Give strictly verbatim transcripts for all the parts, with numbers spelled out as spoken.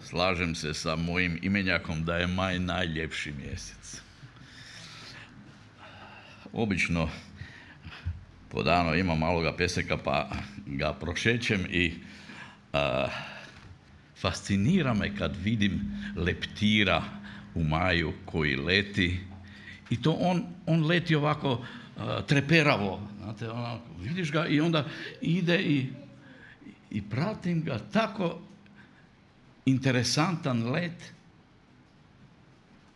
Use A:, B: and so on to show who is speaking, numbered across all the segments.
A: slažem se sa mojim imenjakom da je maj najljepši mjesec. Obično po danu imam maloga peseka pa ga prošećem i a, fascinira me kad vidim leptira u maju koji leti i to on, on leti ovako a, treperavo, znate, onako, vidiš ga i onda ide i, i pratim ga, tako interesantan let.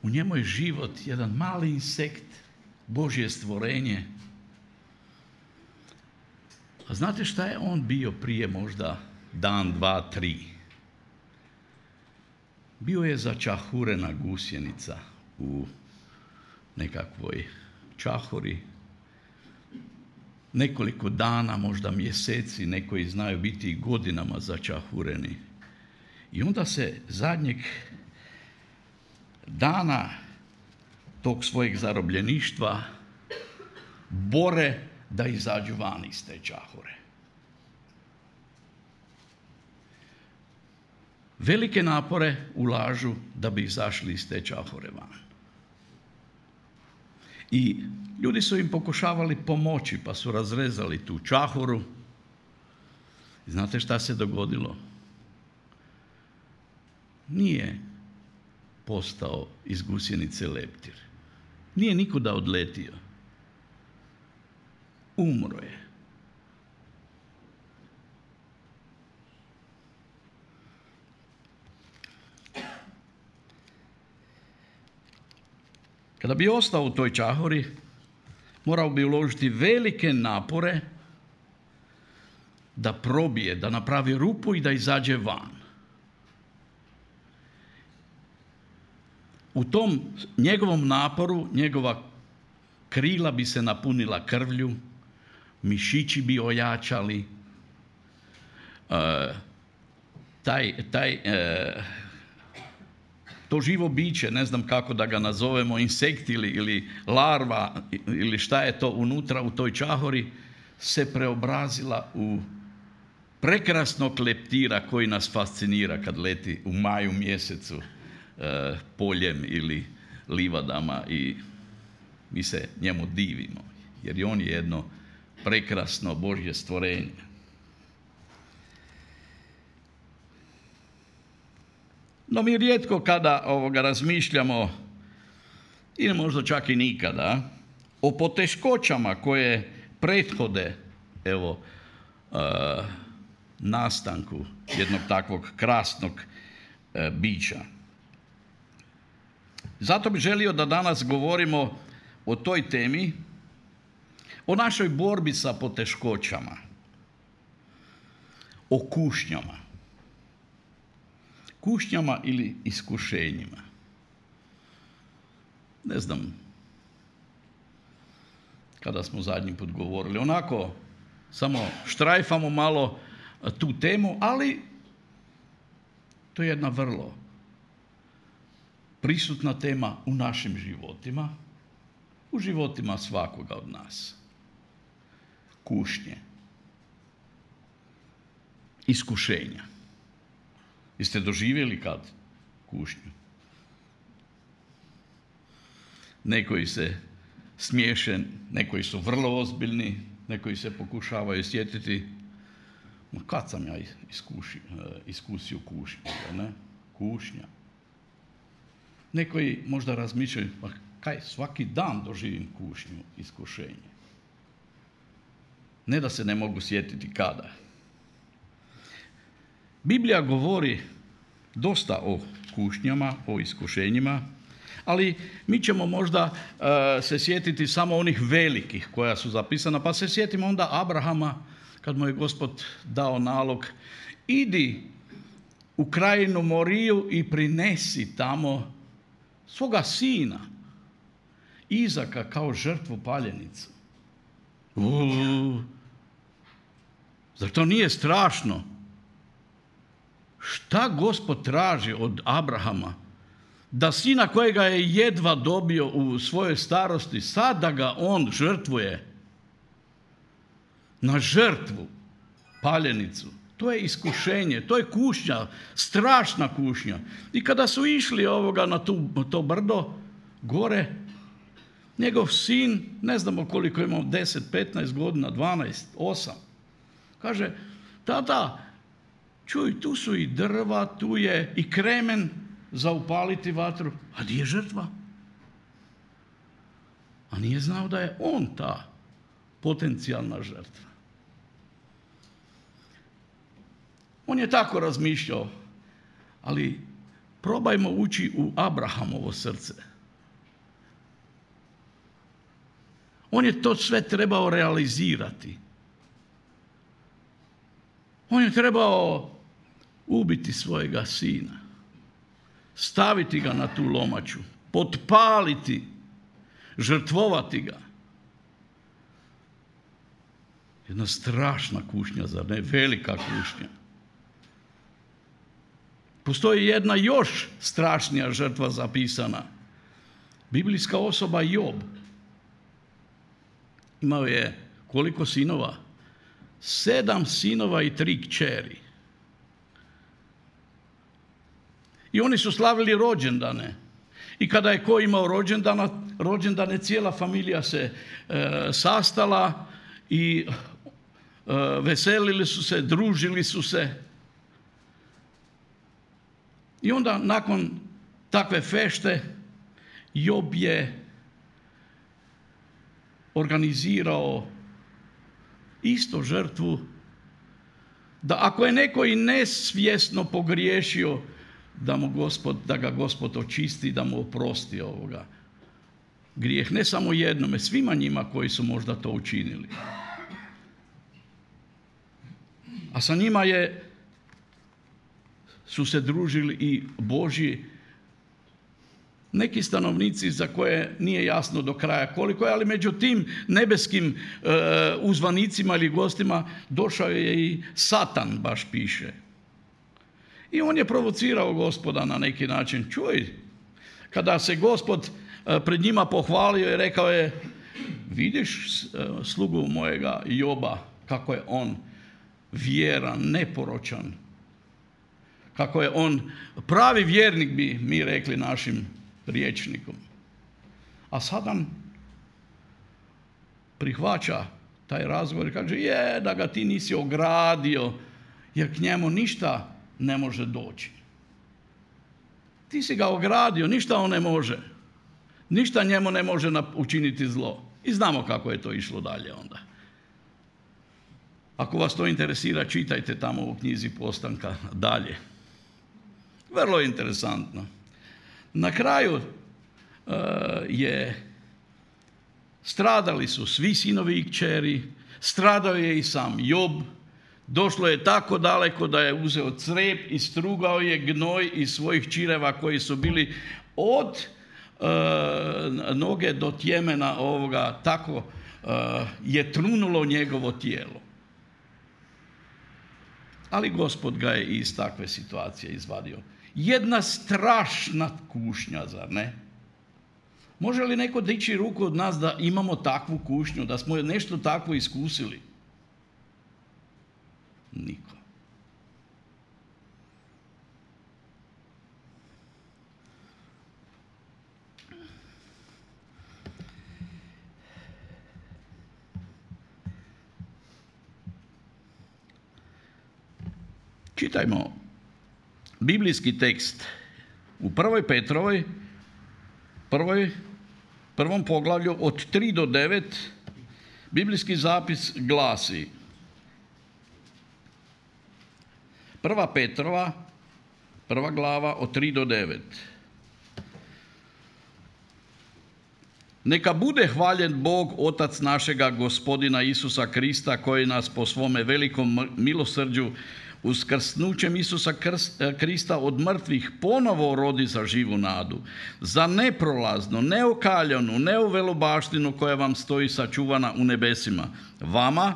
A: U njemu je život, jedan mali insekt, Božje stvorenje. A znate šta je on bio prije možda dan, dva, tri? Bio je začahurena gusjenica u nekakvoj čahuri. Nekoliko dana, možda mjeseci, neki znaju biti i godinama začahureni. I onda se zadnjeg dana tog svojeg zarobljeništva bore da izađu van iz te čahure. Velike napore ulažu da bi izašli iz te čahure van. I ljudi su im pokušavali pomoći, pa su razrezali tu čahuru. I znate šta se dogodilo? Nije postao iz gusjenice leptir. Nije nikuda odletio. Umro je. Kada bi ostao u toj čahuri, morao bi uložiti velike napore da probije, da napravi rupu i da izađe van. U tom njegovom naporu, njegova krila bi se napunila krvlju, mišići bi ojačali, uh, taj, taj, uh, to živo biće, ne znam kako da ga nazovemo, insekt ili, ili larva ili šta je to unutra u toj čahori, se preobrazila u prekrasnog leptira koji nas fascinira kad leti u maju mjesecu uh, poljem ili livadama i mi se njemu divimo, jer on je jedno prekrasno Božje stvorenje. No mi rijetko kada ovoga razmišljamo, ili možda čak i nikada, o poteškoćama koje prethode evo uh, nastanku jednog takvog krasnog uh, bića. Zato bih želio da danas govorimo o toj temi, o našoj borbi sa poteškoćama, o kušnjama. Kušnjama ili iskušenjima. Ne znam kada smo zadnji put govorili. Onako, samo štrajfamo malo tu temu, ali to je jedna vrlo prisutna tema u našim životima, u životima svakoga od nas. Kušnje. Iskušenja. Jeste doživjeli kad kušnju? Nekoji se smiješe, nekoji su vrlo ozbiljni, nekoji se pokušavaju sjetiti. Ma kad sam ja iskuši, iskusio kušnju, ne? Kušnja. Nekoji možda razmišljaju, pa kaj, svaki dan doživim kušnju, iskušenje. Ne da se ne mogu sjetiti kada. Biblija govori dosta o kušnjama, o iskušenjima, ali mi ćemo možda uh, se sjetiti samo onih velikih koja su zapisana, pa se sjetimo onda Abrahama kad mu je Gospod dao nalog, idi u krajinu Moriju i prinesi tamo svoga sina, Izaka, kao žrtvu paljenicu. Uuu, zar to nije strašno? Šta Gospod traži od Abrahama? Da sina kojega je jedva dobio u svojoj starosti, sada ga on žrtvuje na žrtvu, paljenicu. To je iskušenje, to je kušnja, strašna kušnja. I kada su išli ovoga na tu, to brdo gore, njegov sin, ne znamo koliko imao, deset, petnaest godina, dvanaest, osam, kaže, tata, čuj, tu su i drva, tu je i kremen za upaliti vatru, a gdje je žrtva? A nije znao da je on ta potencijalna žrtva. On je tako razmišljao, ali probajmo ući u Abrahamovo srce. On je to sve trebao realizirati. On je trebao ubiti svojega sina, staviti ga na tu lomaču, potpaliti, žrtvovati ga. Jedna strašna kušnja, zar ne? Velika kušnja. Postoji jedna još strašnija žrtva zapisana. Biblijska osoba Job. Imao je koliko sinova? Sedam sinova i tri kćeri. I oni su slavili rođendane. I kada je ko imao rođendana, rođendane, cijela familija se e, sastala i e, veselili su se, družili su se. I onda nakon takve fešte Job je organizirao isto žrtvu, da ako je neko i nesvjesno pogriješio, da, mu Gospod, da ga Gospod očisti, da mu oprosti ovoga grijeh. Ne samo jednome, svima njima koji su možda to učinili. A sa njima je su se družili i Božji neki stanovnici za koje nije jasno do kraja koliko je, ali među tim nebeskim e, uzvanicima ili gostima došao je i Satan, baš piše. I on je provocirao Gospoda na neki način. Čuj, kada se Gospod e, pred njima pohvalio i rekao je, vidiš e, slugu mojega Joba, kako je on vjeran, neporočan, kako je on pravi vjernik, bi mi rekli našim rječnikom. A Satan prihvaća taj razgovor i kaže, je, da ga ti nisi ogradio, jer k njemu ništa ne može doći. Ti si ga ogradio, ništa on ne može. Ništa njemu ne može učiniti zlo. I znamo kako je to išlo dalje onda. Ako vas to interesira, čitajte tamo u knjizi Postanka dalje. Vrlo interesantno. Na kraju uh, je stradali su svi sinovi i kćeri, stradao je i sam Job. Došlo je tako daleko da je uzeo crijep i strugao je gnoj iz svojih čireva koji su bili od uh, noge do tjemena ovoga, tako uh, je trunulo njegovo tijelo. Ali Gospod ga je iz takve situacije izvadio. Jedna strašna kušnja, zar ne? Može li neko dići ruku od nas da imamo takvu kušnju, da smo nešto takvo iskusili? Niko. Čitajmo biblijski tekst u prvoj Petrovoj, prvoj, prvom poglavlju od tri do devet. Biblijski zapis glasi: Prva Petrova, prva glava od tri do devet. Neka bude hvaljen Bog, Otac našega Gospodina Isusa Krista, koji nas po svome velikom milosrđu uskrsnućem Isusa Krista od mrtvih ponovo rodi za živu nadu, za neprolaznu, neokaljanu, neuvelobaštinu koja vam stoji sačuvana u nebesima. Vama,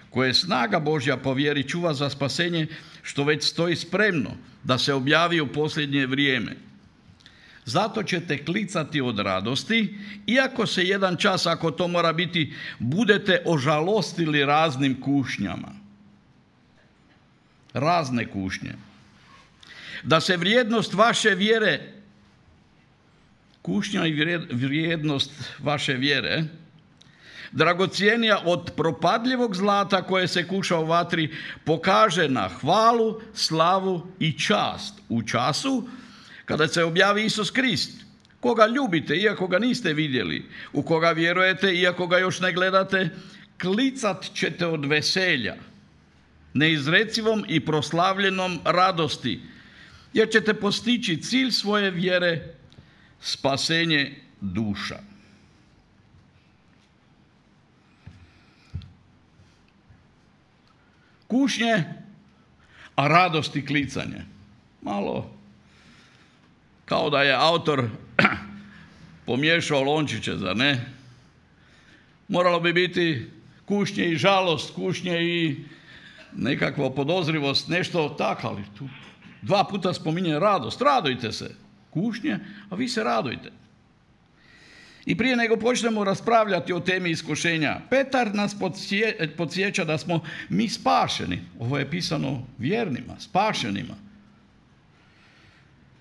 A: koje snaga Božja po vjeri čuva za spasenje, što već stoji spremno da se objavi u posljednje vrijeme. Zato ćete klicati od radosti, iako se jedan čas, ako to mora biti, budete ožalostili raznim kušnjama. razne kušnje. Da se vrijednost vaše vjere, kušnja i vrijednost vaše vjere, dragocjenija od propadljivog zlata koje se kuša u vatri, pokaže na hvalu, slavu i čast u času kada se objavi Isus Krist, koga ljubite iako ga niste vidjeli, u koga vjerujete iako ga još ne gledate, klicat ćete od veselja, neizrecivom i proslavljenom radosti, jer ćete postići cilj svoje vjere, spasenje duša. Kušnje, a radost i klicanje. Malo kao da je autor pomiješao lončiće, zar ne? Moralo bi biti kušnje i žalost, kušnje i nekakva podozrivost, nešto tako, ali tu dva puta spominje radost. Radujte se. Kušnje, a vi se radujte. I prije nego počnemo raspravljati o temi iskušenja, Petar nas podsjeća da smo mi spašeni. Ovo je pisano vjernima, spašenima.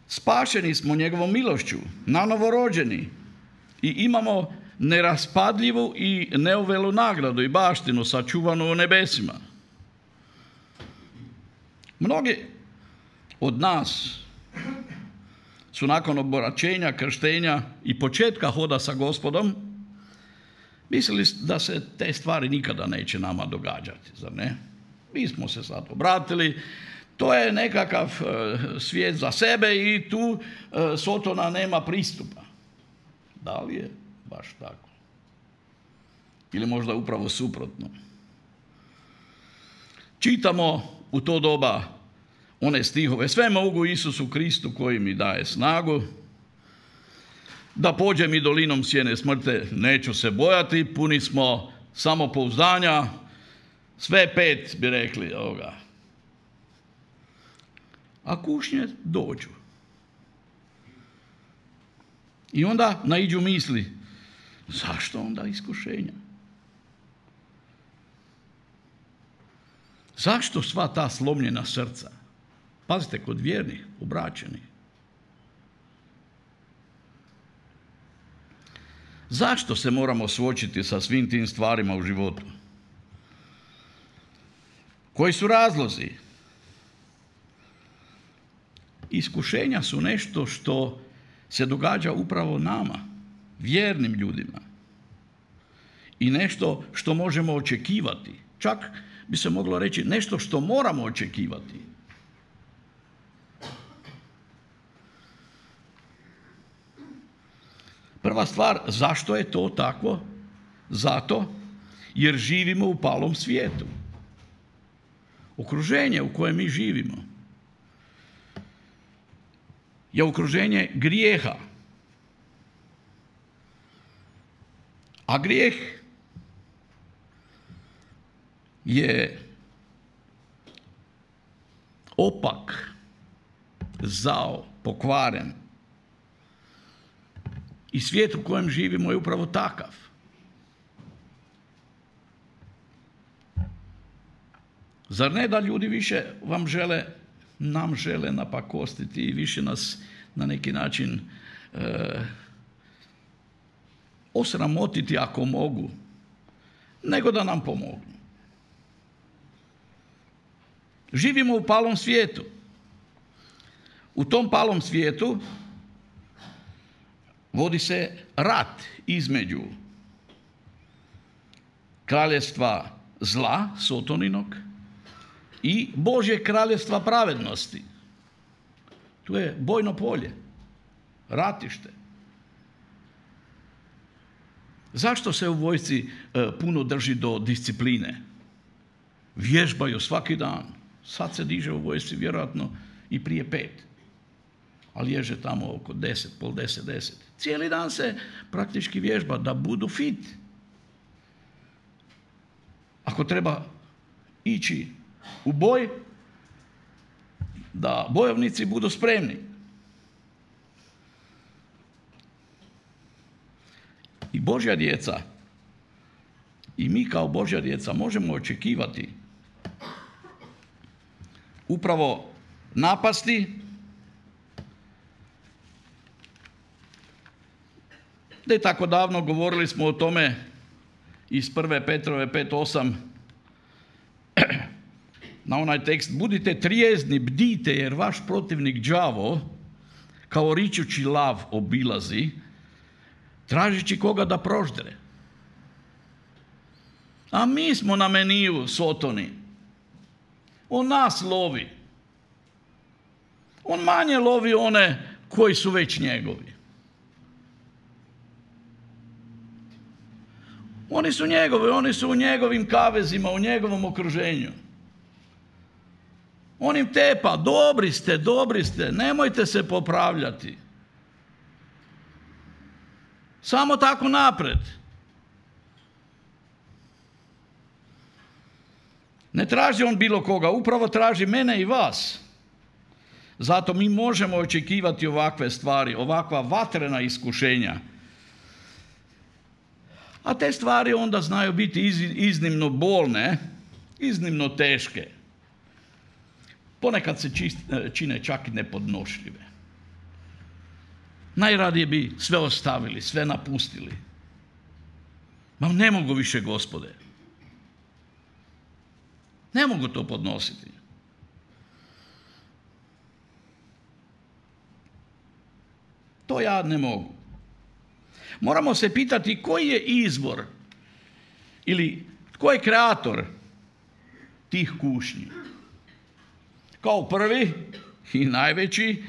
A: Spašeni smo njegovom milošću, nanovo rođeni i imamo neraspadljivu i neuvelu nagradu i baštinu sačuvanu u nebesima. Mnogi od nas su nakon obraćenja, krštenja i početka hoda sa Gospodom mislili da se te stvari nikada neće nama događati, zar ne? Mi smo se sad obratili, to je nekakav e, svijet za sebe i tu e, Sotona nema pristupa. Da li je baš tako? Ili možda upravo suprotno? Čitamo u to doba one stihove: sve mogu Isusu Kristu koji mi daje snagu, da pođem i dolinom sjene smrti, neću se bojati, puni smo samopouzdanja, sve pet bi rekli ovoga. A kušnje dođu. I onda naiđu misli, zašto onda iskušenja? Zašto sva ta slomljena srca? Pazite, kod vjernih, obraćenih. Zašto se moramo suočiti sa svim tim stvarima u životu? Koji su razlozi? Iskušenja su nešto što se događa upravo nama, vjernim ljudima. I nešto što možemo očekivati. Čak bi se moglo reći nešto što moramo očekivati. Prva stvar, zašto je to tako? Zato jer živimo u palom svijetu. Okruženje u kojem mi živimo je okruženje grijeha. A grijeh je opak, zao, pokvaren. I svijet u kojem živimo je upravo takav. Zar ne da ljudi više vam žele, nam žele napakostiti i više nas na neki način e, osramotiti ako mogu, nego da nam pomognu. Živimo u palom svijetu. U tom palom svijetu vodi se rat između kraljevstva zla, Sotoninog, i Božje kraljevstva pravednosti. Tu je bojno polje, ratište. Zašto se u vojsci e, puno drži do discipline? Vježbaju svaki dan. Sad se diže u vojsci vjerojatno i prije pet. Ali ježe tamo oko deset, pol deset, deset. Cijeli dan se praktički vježba da budu fit. Ako treba ići u boj, da bojovnici budu spremni. I Božja djeca, i mi kao Božja djeca možemo očekivati upravo napasti, ne tako davno govorili smo o tome iz prve Petrove pet osam, na onaj tekst: budite trijezni, bdite, jer vaš protivnik đavo kao ričući lav obilazi, tražeći koga da proždere. A mi smo na meniju Sotoni. On nas lovi. On manje lovi one koji su već njegovi. Oni su njegovi, oni su u njegovim kavezima, u njegovom okruženju. On im tepa: dobri ste, dobri ste, nemojte se popravljati. Samo tako napred. Ne traži on bilo koga, upravo traži mene i vas. Zato mi možemo očekivati ovakve stvari, ovakva vatrena iskušenja. A te stvari onda znaju biti iznimno bolne, iznimno teške. Ponekad se čine čak i nepodnošljive. Najradije bi sve ostavili, sve napustili. Ma ne mogu više, Gospode. Ne mogu to podnositi. To ja ne mogu. Moramo se pitati koji je izvor ili tko je kreator tih kušnji. Kao prvi i najveći,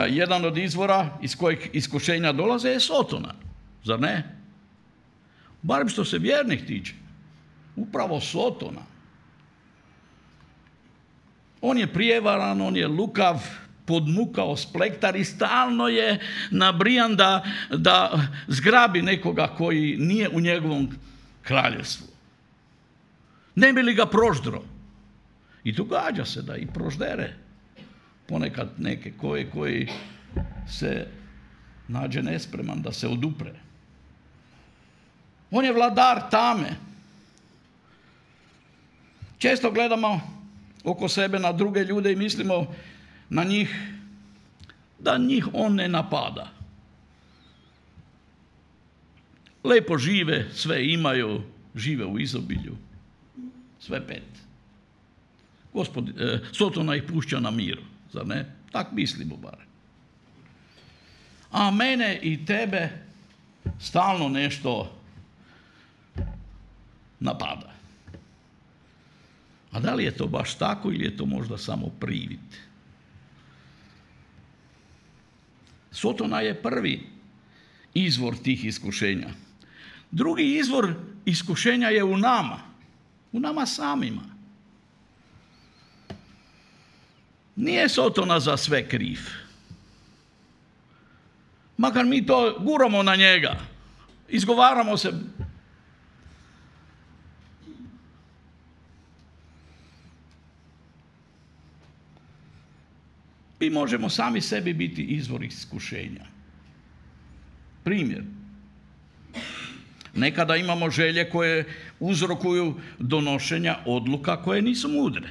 A: jedan od izvora iz kojeg iskušenja dolaze je Sotona. Zar ne? Barem što se vjernih tiče. Upravo Sotona. On je prijevaran, on je lukav, podmukao splektar i stalno je nabrijan da, da zgrabi nekoga koji nije u njegovom kraljevstvu. Ne bi li ga proždro? I događa se da i proždere ponekad neke koje koji se nađe nespreman da se odupre. On je vladar tame. Često gledamo oko sebe na druge ljude i mislimo na njih da njih on ne napada. Lepo žive, sve imaju, žive u izobilju, sve pet. Gospod, eh, Sotona ih pušća na miru, zar ne? Tak mislimo bar. A mene i tebe stalno nešto napada. A da li je to baš tako ili je to možda samo privid? Sotona je prvi izvor tih iskušenja. Drugi izvor iskušenja je u nama, u nama samima. Nije Sotona za sve kriv. Makar mi to guramo na njega, izgovaramo se. Mi možemo sami sebi biti izvor iskušenja. Primjer. Nekada imamo želje koje uzrokuju donošenja odluka koje nisu mudre.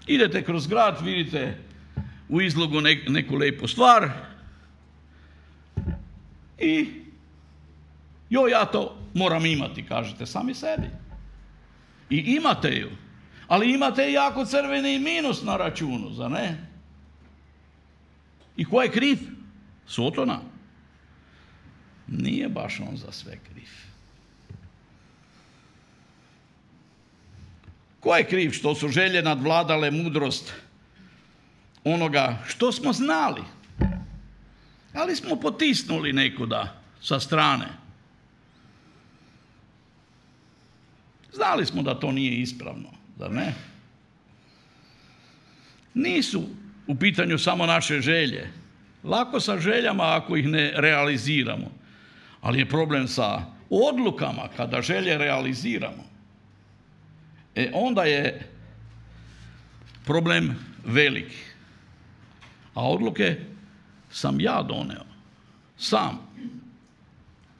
A: Idete kroz grad, vidite u izlogu neku lijepu stvar i joj, ja to moram imati, kažete sami sebi. I imate ju, ali imate jako crveni minus na računu, zar ne? I ko je kriv? Sotona. Nije baš on za sve kriv. Ko je kriv što su želje nadvladale mudrost onoga što smo znali, ali smo potisnuli nekuda sa strane. Znali smo da to nije ispravno, zar ne? Nisu u pitanju samo naše želje. Lako sa željama ako ih ne realiziramo. Ali je problem sa odlukama kada želje realiziramo. E onda je problem veliki. A odluke sam ja doneo. Sam.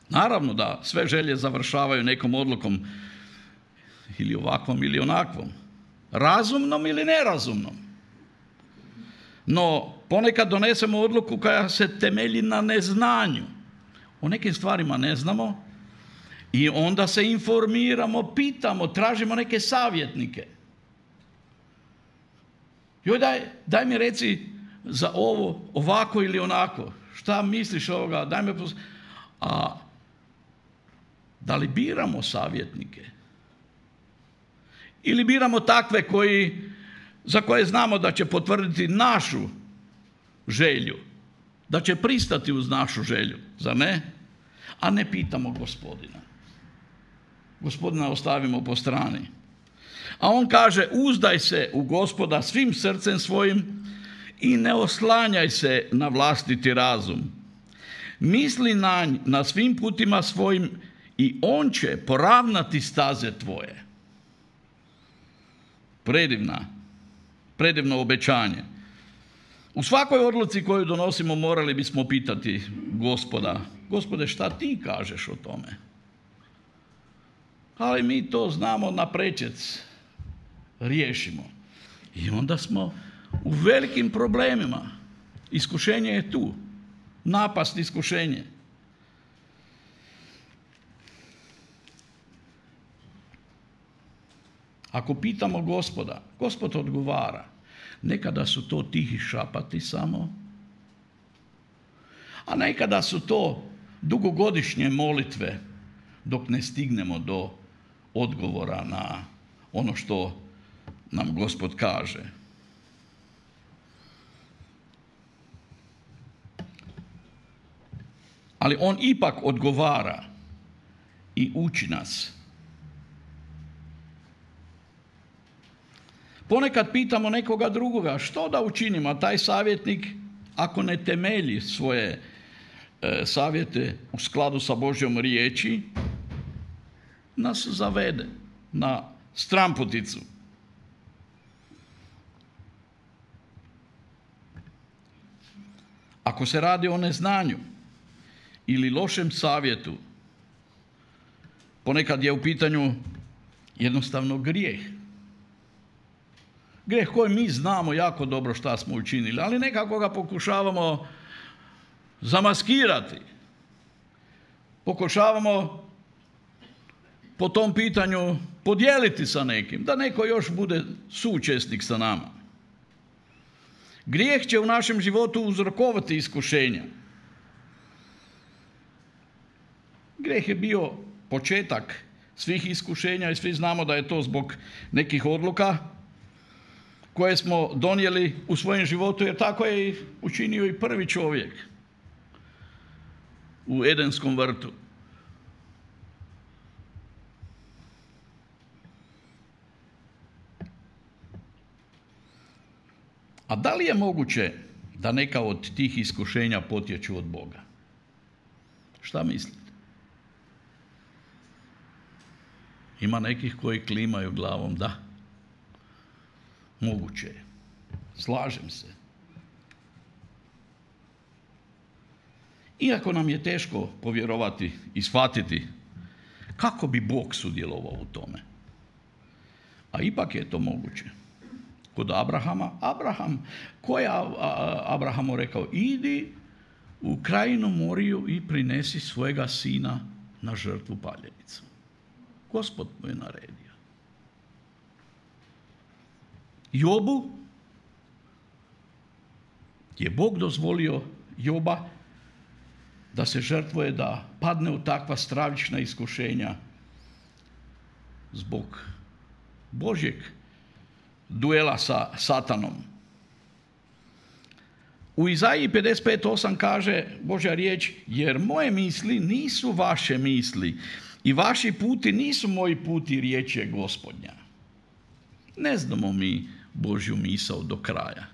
A: Naravno da sve želje završavaju nekom odlukom ili ovakvom ili onakvom, razumnom ili nerazumnom. No, ponekad donesemo odluku koja se temelji na neznanju. O nekim stvarima ne znamo i onda se informiramo, pitamo, tražimo neke savjetnike. Joj, daj, daj mi reci za ovo, ovako ili onako. Šta misliš ovoga? Daj me pos... A da li biramo savjetnike? Ili biramo takve koji, za koje znamo da će potvrditi našu želju, da će pristati uz našu želju, zar ne? A ne pitamo Gospodina. Gospodina ostavimo po strani. A on kaže, uzdaj se u Gospoda svim srcem svojim i ne oslanjaj se na vlastiti razum. Misli na, na svim putima svojim i on će poravnati staze tvoje. Predivna, predivno obećanje. U svakoj odluci koju donosimo morali bismo pitati Gospoda, Gospode, šta ti kažeš o tome? Ali mi to znamo na prečec, riješimo. I onda smo u velikim problemima. Iskušenje je tu. Napast iskušenje. Ako pitamo Gospoda, Gospod odgovara. Nekada su to tihi šapati samo, a nekada su to dugogodišnje molitve dok ne stignemo do odgovora na ono što nam Gospod kaže. Ali on ipak odgovara i uči nas. Ponekad pitamo nekoga drugoga što da učinimo, a taj savjetnik ako ne temelji svoje e, savjete u skladu sa Božjom riječi, nas zavede na stramputicu. Ako se radi o neznanju ili lošem savjetu, ponekad je u pitanju jednostavno grijeh. Grijeh koji mi znamo jako dobro šta smo učinili, ali nekako ga pokušavamo zamaskirati. Pokušavamo po tom pitanju podijeliti sa nekim, da neko još bude suučesnik sa nama. Grijeh će u našem životu uzrokovati iskušenja. Grijeh je bio početak svih iskušenja i svi znamo da je to zbog nekih odluka koje smo donijeli u svojem životu, jer tako je učinio i prvi čovjek u Edenskom vrtu. A da li je moguće da neka od tih iskušenja potječu od Boga? Šta mislite? Ima nekih koji klimaju glavom, da. Moguće je. Slažem se. Iako nam je teško povjerovati i shvatiti kako bi Bog sudjelovao u tome. A ipak je to moguće. Kod Abrahama, Abraham, ko je Abrahamu rekao? Idi u krajinu Moriju i prinesi svojega sina na žrtvu paljenicu. Gospod mu je naredio. Jobu je Bog dozvolio Joba da se žrtvuje, da padne u takva stravična iskušenja zbog Božjeg duela sa Satanom. U Izaiji pedeset pet osam kaže Božja riječ, jer moje misli nisu vaše misli i vaši puti nisu moji puti, riječ je Gospodnja. Ne znamo mi Božju misao do kraja.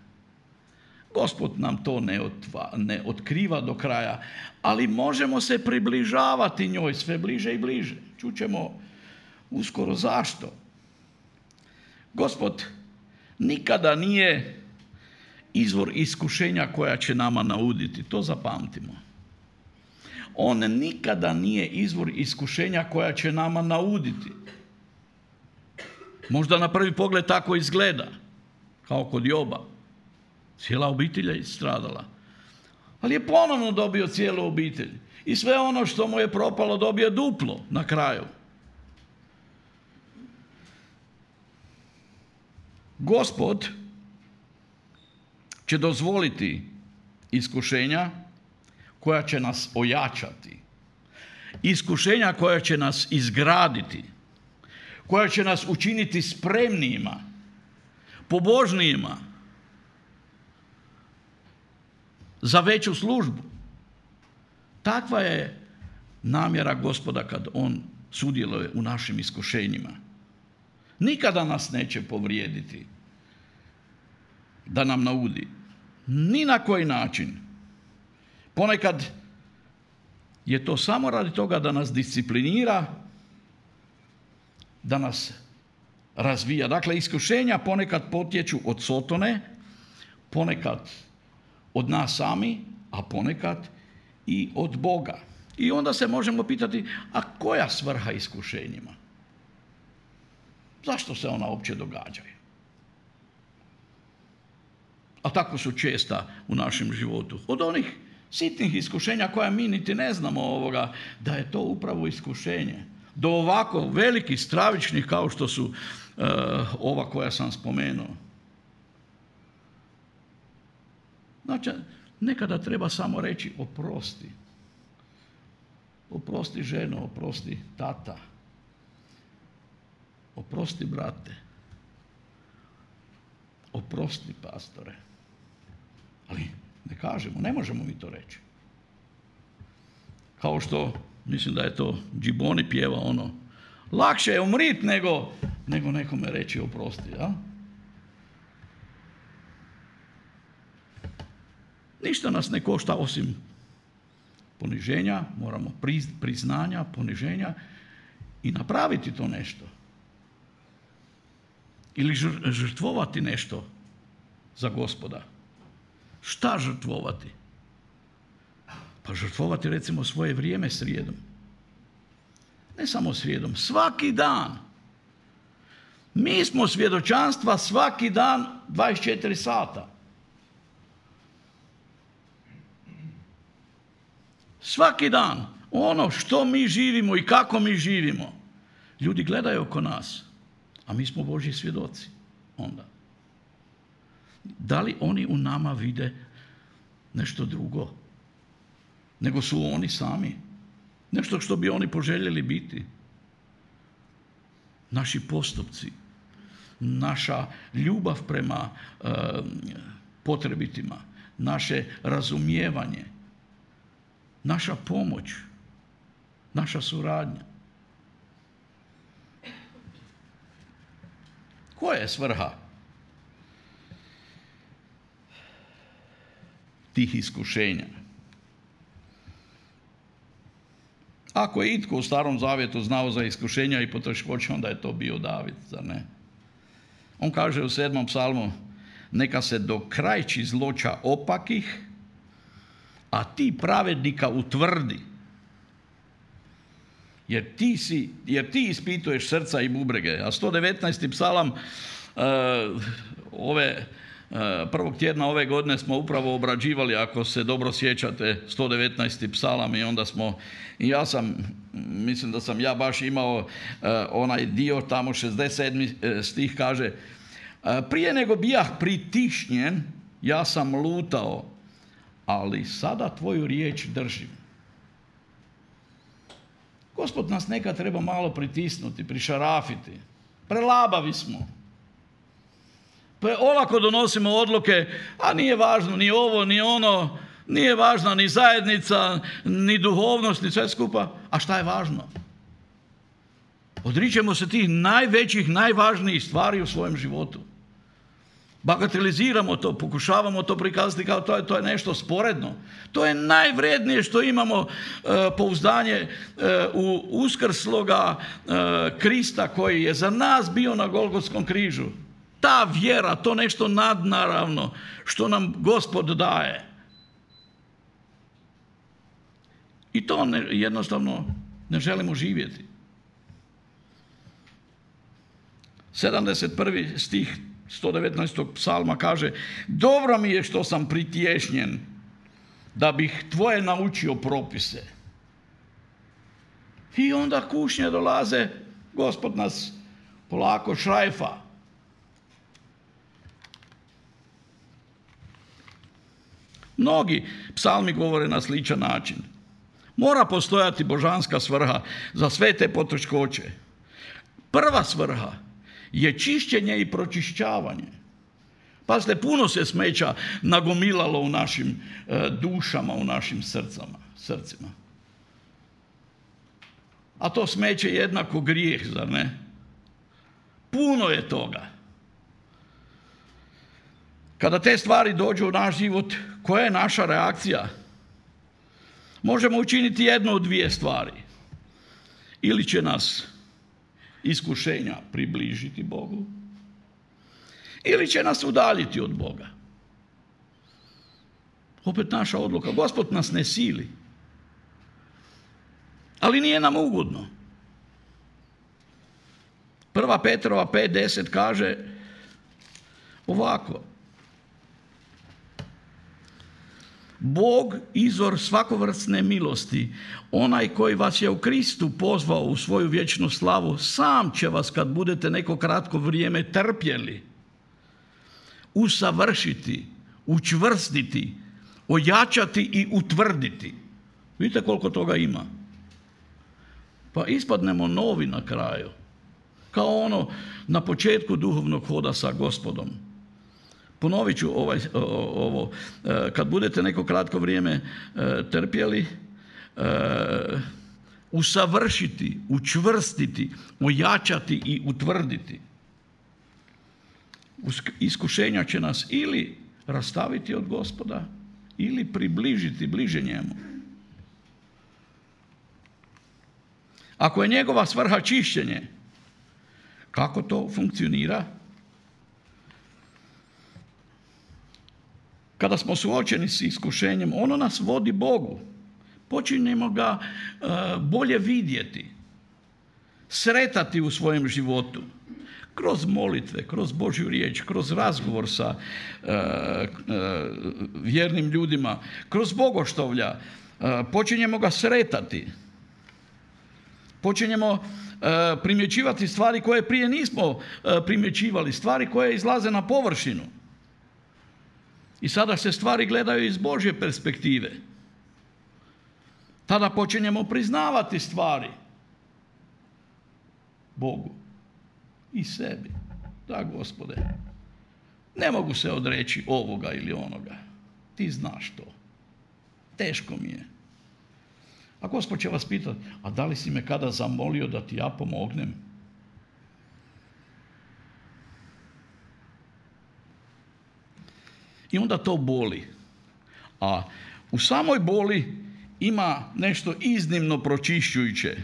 A: Gospod nam to ne, otva, ne otkriva do kraja, ali možemo se približavati njoj sve bliže i bliže. Čućemo uskoro zašto. Gospod nikada nije izvor iskušenja koja će nama nauditi. To zapamtimo. On nikada nije izvor iskušenja koja će nama nauditi. Možda na prvi pogled tako izgleda, kao kod Joba. Cijela obitelj je stradala. Ali je ponovno dobio cijelu obitelj. I sve ono što mu je propalo dobio duplo na kraju. Gospod će dozvoliti iskušenja koja će nas ojačati. Iskušenja koja će nas izgraditi. Koja će nas učiniti spremnijima, pobožnijima za veću službu. Takva je namjera Gospoda kad on sudjeluje u našim iskušenjima. Nikada nas neće povrijediti da nam naudi. Ni na koji način. Ponekad je to samo radi toga da nas disciplinira, da nas razvija. Dakle, iskušenja ponekad potječu od Sotone, ponekad od nas sami, a ponekad i od Boga. I onda se možemo pitati, a koja svrha iskušenjima? Zašto se ona uopće događaju? A tako su česta u našem životu. Od onih sitnih iskušenja koja mi niti ne znamo ovoga, da je to upravo iskušenje. Do ovako velikih, stravičnih kao što su uh, ova koja sam spomenuo. Znači, nekada treba samo reći oprosti. Oprosti ženo, oprosti tata. Oprosti brate. Oprosti pastore. Ali ne kažemo, ne možemo mi to reći. Kao što, mislim da je to Džiboni pjeva ono, lakše je umrit nego, nego nekome reći oprosti. Ja? Ništa nas ne košta osim poniženja, moramo priznanja, poniženja i napraviti to nešto. Ili žrtvovati nešto za Gospoda. Šta žrtvovati? Pa žrtvovati recimo svoje vrijeme srijedom. Ne samo srijedom, svaki dan. Mi smo svjedočanstva svaki dan dvadeset četiri sata. Svaki dan. Ono što mi živimo i kako mi živimo. Ljudi gledaju oko nas. A mi smo Božji svjedoci onda. Da li oni u nama vide nešto drugo? Nego su oni sami. Nešto što bi oni poželjeli biti. Naši postupci. Naša ljubav prema e, potrebitima. Naše razumijevanje. Naša pomoć. Naša suradnja. Koja je svrha tih iskušenja? Ako je itko u Starom Zavjetu znao za iskušenja i poteškoće, onda je to bio David, zar ne? On kaže u sedmom psalmu, neka se do krajči zloća opakih, a ti pravednika utvrdi. Jer ti, si, jer ti ispituješ srca i bubrege. A sto devetnaesti psalam uh, ove, uh, prvog tjedna ove godine smo upravo obrađivali, ako se dobro sjećate, sto devetnaesti psalam i onda smo, i ja sam, mislim da sam ja baš imao uh, onaj dio, tamo šezdeset sedmi stih kaže, uh, prije nego bijah pritišnjen, ja sam lutao, ali sada tvoju riječ držim. Gospod nas nekad treba malo pritisnuti, prišarafiti. Prelabavi smo. Pre olako donosimo odluke, a nije važno ni ovo, ni ono, nije važna ni zajednica, ni duhovnost, ni sve skupa. A šta je važno? Odričemo se tih najvećih, najvažnijih stvari u svojem životu. Bagateliziramo to, pokušavamo to prikazati kao to je, to je nešto sporedno. To je najvrednije što imamo e, pouzdanje e, u uskrsloga e, Krista koji je za nas bio na Golgotskom križu. Ta vjera, to nešto nadnaravno što nam Gospod daje. I to ne, jednostavno ne želimo živjeti. sedamdeset prvi stih sto devetnaestog psalma kaže: dobro mi je što sam pritješnjen, da bih tvoje naučio propise. I onda kušnje dolaze, Gospod nas polako šrajfa. Mnogi psalmi govore na sličan način. Mora postojati božanska svrha za sve te poteškoće. Prva svrha je čišćenje i pročišćavanje. Pazite, puno se smeća nagomilalo u našim e, dušama, u našim srcama, srcima. A to smeće je jednako grijeh, zar ne? Puno je toga. Kada te stvari dođu u naš život, koja je naša reakcija? Možemo učiniti jednu od dvije stvari. Ili će nas iskušenja približiti Bogu, ili će nas udaljiti od Boga. Opet naša odluka. Gospod nas ne sili, ali nije nam ugodno. Prva Petrova pet deset kaže ovako: Bog, izvor svakovrsne milosti, onaj koji vas je u Kristu pozvao u svoju vječnu slavu, sam će vas, kad budete neko kratko vrijeme trpjeli, usavršiti, učvrstiti, ojačati i utvrditi. Vidite koliko toga ima. Pa ispadnemo novi na kraju. Kao ono na početku duhovnog hoda sa Gospodom. Ponovit ću ovaj, ovo. Kad budete neko kratko vrijeme trpjeli, usavršiti, učvrstiti, ojačati i utvrditi. Iskušenja će nas ili rastaviti od Gospoda, ili približiti bliže njemu. Ako je njegova svrha čišćenje, kako to funkcionira? Kada smo suočeni s iskušenjem, ono nas vodi Bogu. Počinjemo ga uh, bolje vidjeti, sretati u svojem životu. Kroz molitve, kroz Božju riječ, kroz razgovor sa uh, uh, vjernim ljudima, kroz bogoštovlja, uh, počinjemo ga sretati. Počinjemo uh, primjećivati stvari koje prije nismo uh, primjećivali, stvari koje izlaze na površinu. I sada se stvari gledaju iz Božje perspektive. Tada počinjemo priznavati stvari Bogu i sebi. Da, Gospode, ne mogu se odreći ovoga ili onoga. Ti znaš to. Teško mi je. A Gospod će vas pitati: a da li si me kada zamolio da ti ja pomognem? I onda to boli. A u samoj boli ima nešto iznimno pročišćujuće.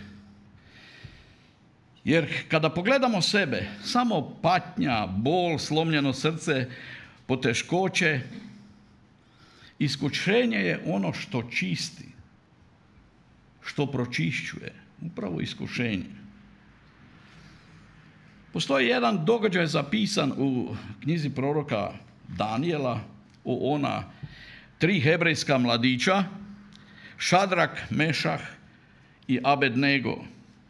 A: Jer kada pogledamo sebe, samo patnja, bol, slomljeno srce, poteškoće, iskušenje je ono što čisti, što pročišćuje. Upravo iskušenje. Postoji jedan događaj zapisan u knjizi proroka Danijela o ona tri hebrejska mladića, Šadrak, Mešah i Abednego.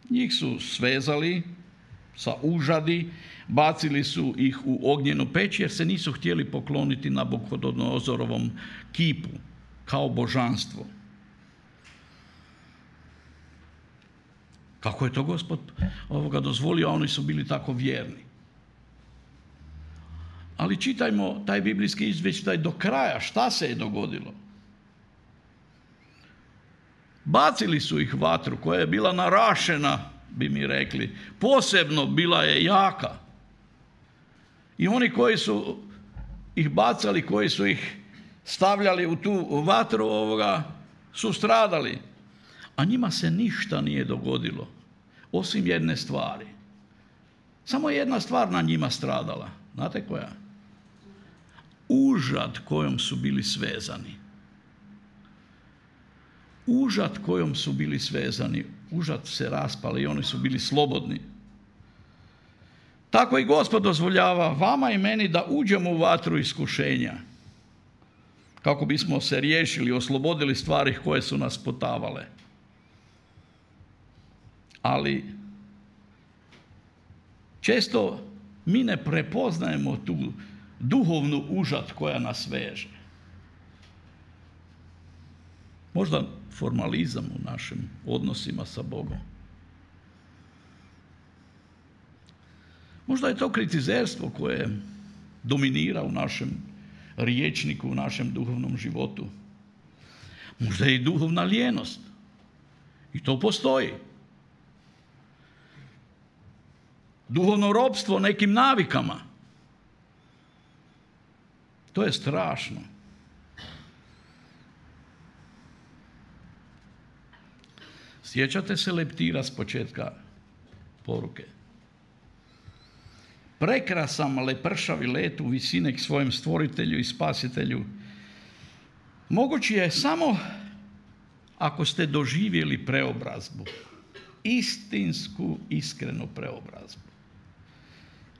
A: Njih su svezali sa užadi, bacili su ih u ognjenu peć jer se nisu htjeli pokloniti Nabukodonozorovom kipu kao božanstvo. Kako je to Gospod ovoga dozvolio, a oni su bili tako vjerni. Ali čitajmo taj biblijski izvještaj do kraja, šta se je dogodilo. Bacili su ih vatru koja je bila narašena, bi mi rekli, posebno bila je jaka. I oni koji su ih bacali, koji su ih stavljali u tu vatru, ovoga, su stradali. A njima se ništa nije dogodilo, osim jedne stvari. Samo jedna stvar na njima stradala. Znate koja? Užad kojom su bili svezani. Užad kojom su bili svezani. Užad se raspali i oni su bili slobodni. Tako i Gospod dozvoljava vama i meni da uđemo u vatru iskušenja, kako bismo se riješili, oslobodili stvari koje su nas potavale. Ali često mi ne prepoznajemo tu duhovnu užad koja nas veže. Možda formalizam u našim odnosima sa Bogom. Možda je to kritizerstvo koje dominira u našem riječniku, u našem duhovnom životu. Možda je i duhovna lijenost. I to postoji. Duhovno ropstvo nekim navikama. To je strašno. Sjećate se leptira s početka poruke? Prekrasan lepršavi let u visine k svojem stvoritelju i spasitelju mogući je samo ako ste doživjeli preobrazbu. Istinsku, iskrenu preobrazbu.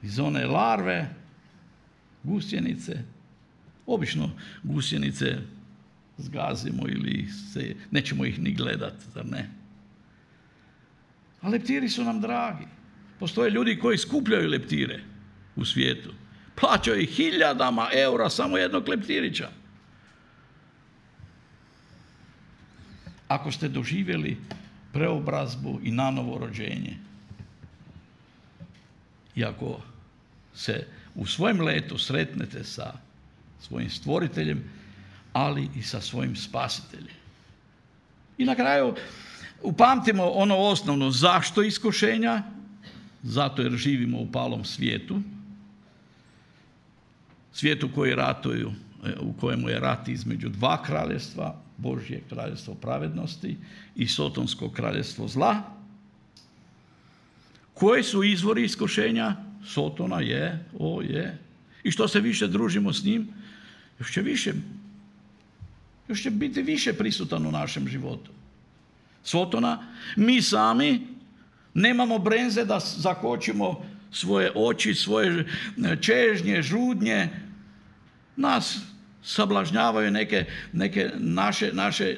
A: Iz one larve, gusjenice, obično gusjenice zgazimo ili se, nećemo ih ni gledati, zar ne? A leptiri su nam dragi. Postoje ljudi koji skupljaju leptire u svijetu. Plaćaju ih hiljadama eura samo jednog leptirića. Ako ste doživjeli preobrazbu i nanovo rođenje, i ako se u svojem letu sretnete sa svojim stvoriteljem, ali i sa svojim spasiteljem. I na kraju upamtimo ono osnovno, zašto iskušenja? Zato jer živimo u palom svijetu, svijetu koji ratuju, u kojemu je rat između dva kraljevstva, Božje kraljevstvo pravednosti i sotonsko kraljevstvo zla. Koji su izvori iskušenja? Sotona je, o je. I što se više družimo s njim, još će više, još će biti više prisutan u našem životu. Sotona, mi sami nemamo brenze da zakočimo svoje oči, svoje čežnje, žudnje. Nas sablažnjavaju neke, neke naše, naše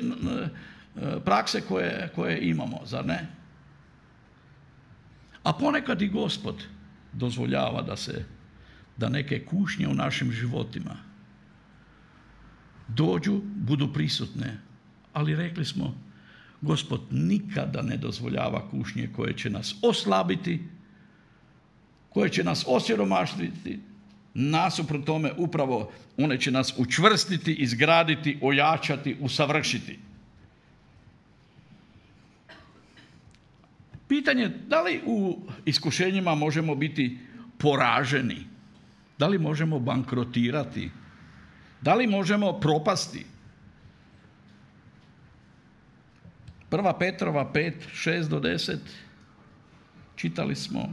A: prakse koje, koje imamo, zar ne? A ponekad i Gospod dozvoljava da se, da neke kušnje u našim životima dođu, budu prisutne. Ali rekli smo, Gospod nikada ne dozvoljava kušnje koje će nas oslabiti, koje će nas osiromašiti. Nasuprot tome upravo one će nas učvrstiti, izgraditi, ojačati, usavršiti. Pitanje, da li u iskušenjima možemo biti poraženi? Da li možemo bankrotirati? Da li možemo propasti? Prva Petrova pet, šest do deset čitali smo,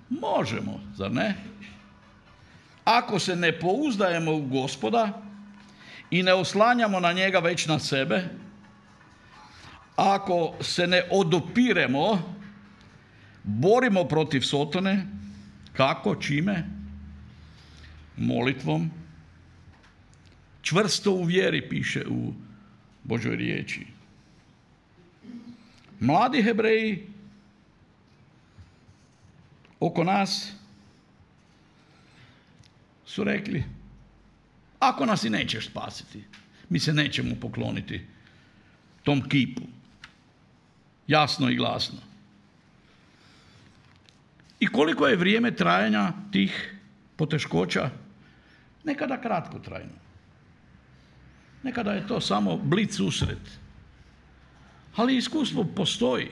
A: možemo, zar ne? Ako se ne pouzdajemo u Gospoda i ne oslanjamo na njega već na sebe, ako se ne odupiremo, borimo protiv Sotone, kako, čime? Molitvom. Čvrsto u vjeri, piše u Božoj riječi. Mladi Hebreji oko nas su rekli, ako nas i nećeš spasiti, mi se nećemo pokloniti tom kipu. Jasno i glasno. I koliko je vrijeme trajanja tih poteškoća? Nekada kratkotrajno. Nekada je to samo blic usret. Ali iskustvo postoji.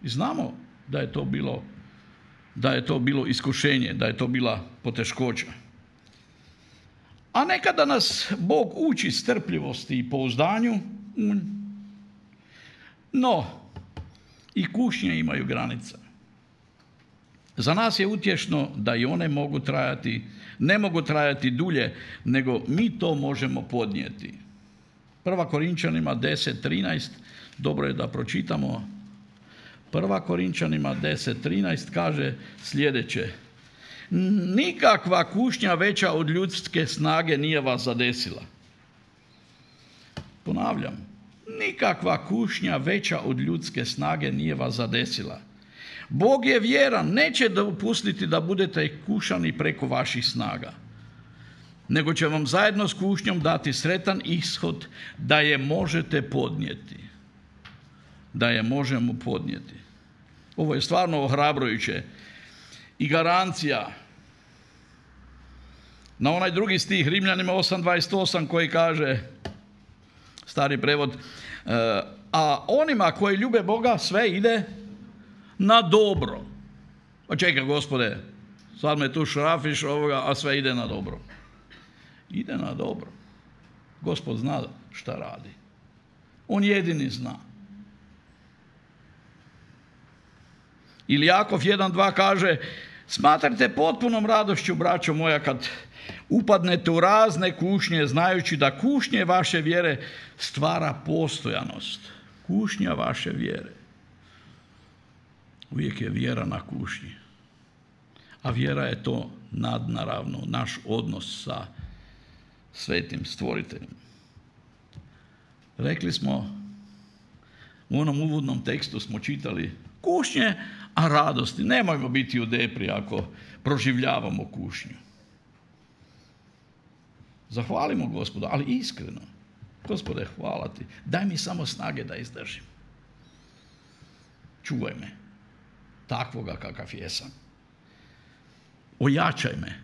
A: I znamo da je to bilo, da je to bilo iskušenje, da je to bila poteškoća. A nekada nas Bog uči strpljivosti i pouzdanju, no i kušnje imaju granica. Za nas je utješno da i one mogu trajati, ne mogu trajati dulje, nego mi to možemo podnijeti. Prva Korinčanima deset trinaest, dobro je da pročitamo. Prva Korinčanima deset trinaest kaže sljedeće. nikakva kušnja veća od ljudske snage nije vas zadesila. Ponavljam, nikakva kušnja veća od ljudske snage nije vas zadesila. Bog je vjeran, neće dopustiti da budete kušani preko vaših snaga, nego će vam zajedno s kušnjom dati sretan ishod da je možete podnijeti. Da je možemo podnijeti. Ovo je stvarno ohrabrujuće i garancija na onaj drugi stih Rimljanima osam dvadeset osam koji kaže, stari prevod, a onima koji ljube Boga sve ide na dobro. Pa čekaj, Gospode, sad me tu šrafiš ovoga, a sve ide na dobro. Ide na dobro. Gospod zna šta radi. On jedini zna. Ili Jakov jedan dva kaže, smatrajte potpunom radošću, braćo moja, kad upadnete u razne kušnje, znajući da kušnje vaše vjere stvara postojanost. Kušnja vaše vjere. Uvijek je vjera na kušnji. A vjera je to nadnaravno, naš odnos sa svetim stvoriteljem. Rekli smo, u onom uvodnom tekstu smo čitali kušnje, a radosti. Nemojmo biti u depri ako proživljavamo kušnju. Zahvalimo Gospodu, ali iskreno. Gospode, hvala ti. Daj mi samo snage da izdržim. Čuvaj me. Takvoga kakav jesam. Ojačaj me.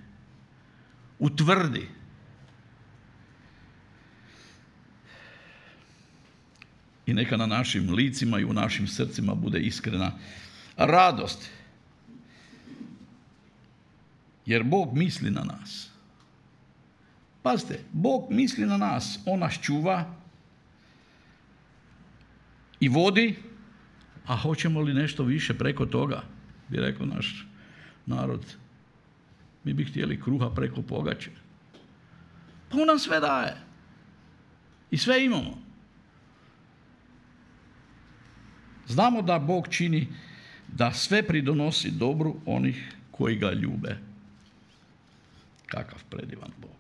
A: Utvrdi. I neka na našim licima i u našim srcima bude iskrena radost. Jer Bog misli na nas. Pazite, Bog misli na nas. On nas čuva i vodi, a hoćemo li nešto više preko toga, bi rekao naš narod. Mi bi htjeli kruha preko pogače. Pa on nam sve daje. I sve imamo. Znamo da Bog čini da sve pridonosi dobru onih koji ga ljube. Kakav predivan Bog.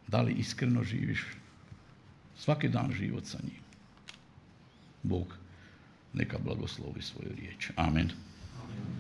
A: Da li iskreno živiš svaki dan život sa njim? Bog neka blagoslovi svoju riječ. Amen. Amen.